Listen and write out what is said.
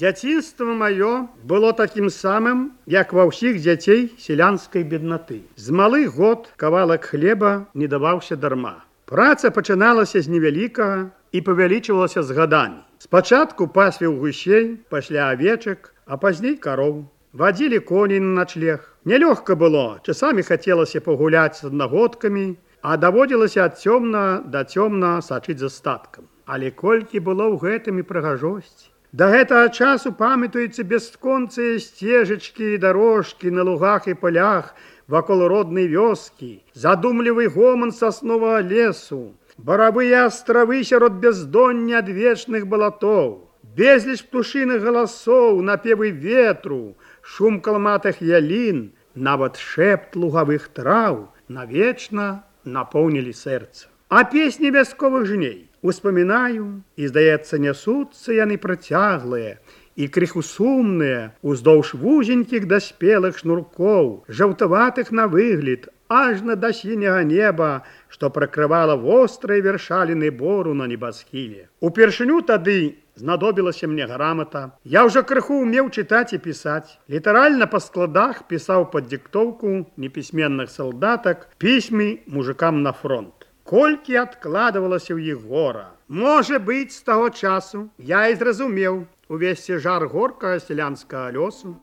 Дзяцінства маё было такім самым, як ва ўсіх дзяцей селянскай беднаты. З малых год кавалак хлеба не даваўся дарма. Праца пачыналася з невялікага і павялічвалася з гадамі. Спачатку пасвіў гусей, пасля авечак, а пазней кароў. Вадзілі коней на начлег. Нялёгка было, часамі хацелася пагуляць з аднагодкамі, а даводзілася ад цёмна да цёмна сачыць за статкам. Але колькі было ў гэтым і прыгажосці. Да гэтага часу памятаюцца бясконцыя сцежачкі і дарожкі на лугах і палях вакол роднай вёскі, задумлівы гоман сасновага лесу, баравыя астравы сярод бяздоння адвечных балатоў, безліч птушыных галасоў, напевы ветру, шум калматых ялін, нават шэпт лугавых траў навечна напоўнілі сэрца. А песні вясковых жней успамінаю, і, здаецца, нясуцца яны працяглыя і крыху сумныя уздоўж вузенькіх даспелых шнуркоў, жаўтаватых на выгляд, ажна да сіняга неба, што пракрывала вострыя вершаліны бору на небасхіле. Упершыню тады знадобілася мне грамата. Я ўжо крыху ўмеў чытаць і пісаць. Літаральна па складах пісаў пад дыктоўку непісьменных салдатак пісьмы мужикам на фронт. Колькі адкладывалася ў іх гора. Можа быць, з таго часу я і зразумеў увесь цяжар горкага сялянскага лёсу.